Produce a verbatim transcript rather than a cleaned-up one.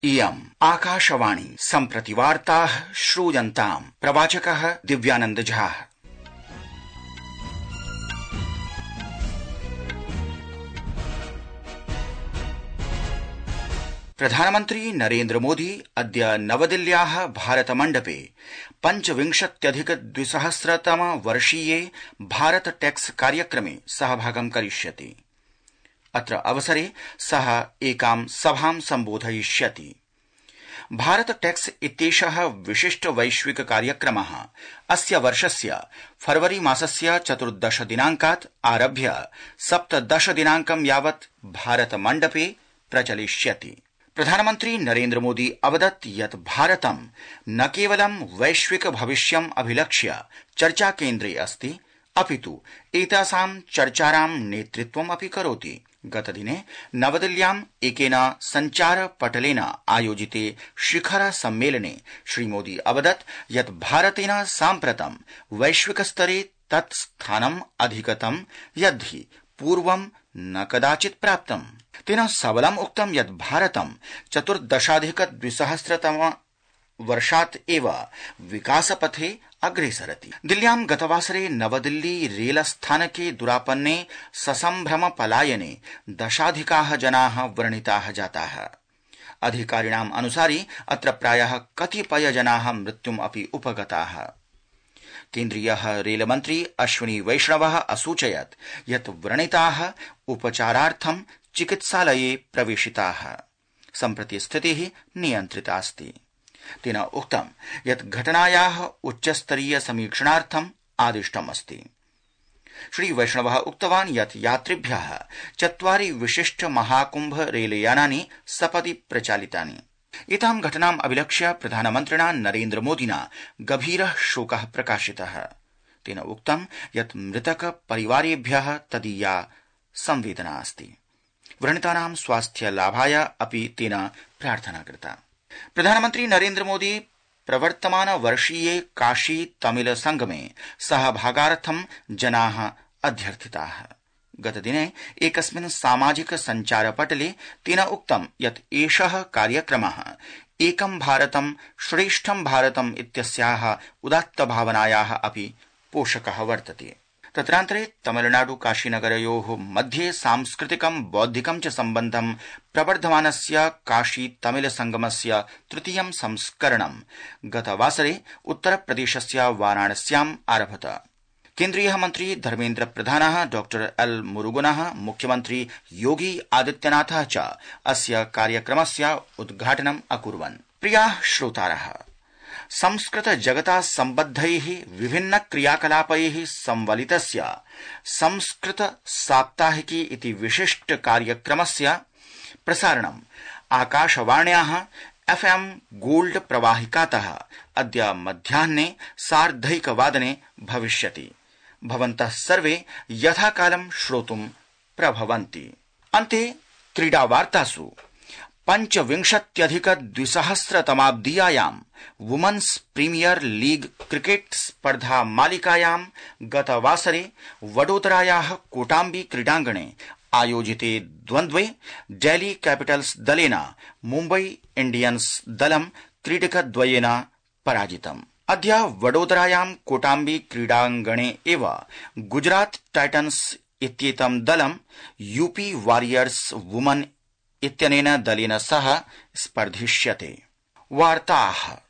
इयम् आकाशवाणी सम्प्रति वार्ताः श्रूयन्ताम् प्रवाचकः दिव्यानंद झा। प्रधानमन्त्री नरेन्द्र मोदी अद्य नवदिल्ल्याः भारतमण्डपे पञ्चविंशत्यधिक द्विसहस्रतम वर्षीये भारत टैक्स कार्यक्रमे सहभागं करिष्यति। अत्र अवसरे सः एकां सभां सम्बोधयिष्यति। भारत टैक्स इत्येषः विशिष्ट वैश्विक कार्यक्रमः अस्य वर्षस्य फरवरी मासस्य चतुर्दश दिनाङ्कात् आरभ्य सप्तदश दिनाङ्कं यावत् भारतमण्डपे प्रचलिष्यति। प्रधानमन्त्री नरेन्द्र मोदी अवदत् यत् भारतं न केवलं वैश्विक भविष्यम् अभिलक्ष्य चर्चाकेन्द्रे अस्ति, अपितु एतासां चर्चारां नेतृत्वम् अपि करोति। गतदिने नवदिल्ल्याम् एकेन सञ्चारपटलेन आयोजिते शिखर सम्मेलने श्रीमोदी अवदत् यत् भारतेन साम्प्रतं वैश्विकस्तरे तत् स्थानम् अधिगतं यद्धि पूर्वं न कदाचित् प्राप्तम्। तेन सबलम् उक्तं यत् भारतं चतुर्दशाधिक द्विसहस्रतम वर्षात् एव विकासपथे अग्रेसरति। दिल्ल्यां गतवासरे नवदिल्ली रेलस्थानके दुरापन्ने ससम्भ्रम पलायने दशाधिकाः जनाः व्रणिताः जाताः। अधिकारिणाम् अनुसारि अत्र प्रायः कतिपय जनाः मृत्युम् अपि उपगताः। केन्द्रीयः रेलमन्त्री अश्विनी वैष्णवः असूचयत् यत् व्रणिताः उपचारार्थं चिकित्सालये प्रवेशिताः। सम्प्रति स्थितिः नियन्त्रितास्ति। तेन उक्तं यत् घटनायाः उच्चस्तरीय समीक्षणार्थम् आदिष्टमस्ति। श्री वैष्णवः उक्तवान् यत् यात्रिभ्यः चत्वारि विशिष्ट महाकुम्भ रेलयानानि सपदि प्रचालितानि। एतां घटनाम् अभिलक्ष्य प्रधानमन्त्रिणा नरेन्द्र मोदिना गभीरः शोकः प्रकाशितः। तेन उक्तं यत् मृतक परिवारेभ्यः तदीया संवेदना अस्ति। व्रणितानां स्वास्थ्य लाभाय अपि तेन प्रार्थना कृता। प्रधानमन्त्री नरेन्द्र मोदी प्रवर्तमान वर्षीये काशी तमिल संगमे सहभागार्थं जनाः अध्यर्थिताः। गतदिने एकस्मिन् सामाजिक सञ्चारपटले तेन उक्तं यत् एषः कार्यक्रमः एकं भारतं श्रेष्ठं भारतम् इत्यस्याः उदात्तभावनायाः अपि पोषकः वर्तते। तत्रान्तरे तमिलनाडु काशीनगरयोः मध्ये सांस्कृतिकं बौद्धिकं च सम्बन्धं प्रवर्धमानस्य काशी तमिल संगमस्य तृतीयं संस्करणं गतवासरे उत्तरप्रदेशस्य वाराणस्याम् आरभत। केन्द्रीयः मन्त्री धर्मेन्द्र प्रधानः डॉक्टर एल मुरुगनः मुख्यमन्त्री योगी आदित्यनाथः च अस्य कार्यक्रमस्य उद्घाटनम् अकुर्वन्। प्रियाः श्रोतारः, संस्कृत जगता सम्बद्धैः विभिन्न क्रियाकलापैः संवलितस्य संस्कृत साप्ताहिकी इति विशिष्ट कार्यक्रमस्य प्रसारणम् आकाशवाण्याः एफएम गोल्ड प्रवाहिकातः अद्य मध्याह्ने सार्धैकवादने भविष्यति। भवन्तः सर्वे यथाकालं श्रोतुं प्रभवन्ति। अन्ते क्रीडावार्तासु पञ्चविंशत्यधिक द्विसहस्रतमाब्दीयायां वुमन्स् प्रीमियर लीग क्रिकेट स्पर्धा मालिकायां गतवासरे वडोदरायाः कोटाम्बी क्रीडाङ्गणे आयोजिते द्वन्द्वे डेल्ही कैपिटल्स दलेन मुम्बई इंडियन्स दलं क्रीडकद्वयेन पराजितम्। अद्य वडोदरायां कोटाम्बी क्रीडाङ्गणे एव गुजरात टाइटन्स इत्येतं दलं यूपी वॉरियर्स वुमन इत्यनेन दलेन सह स्पर्धिष्यते। वार्ताः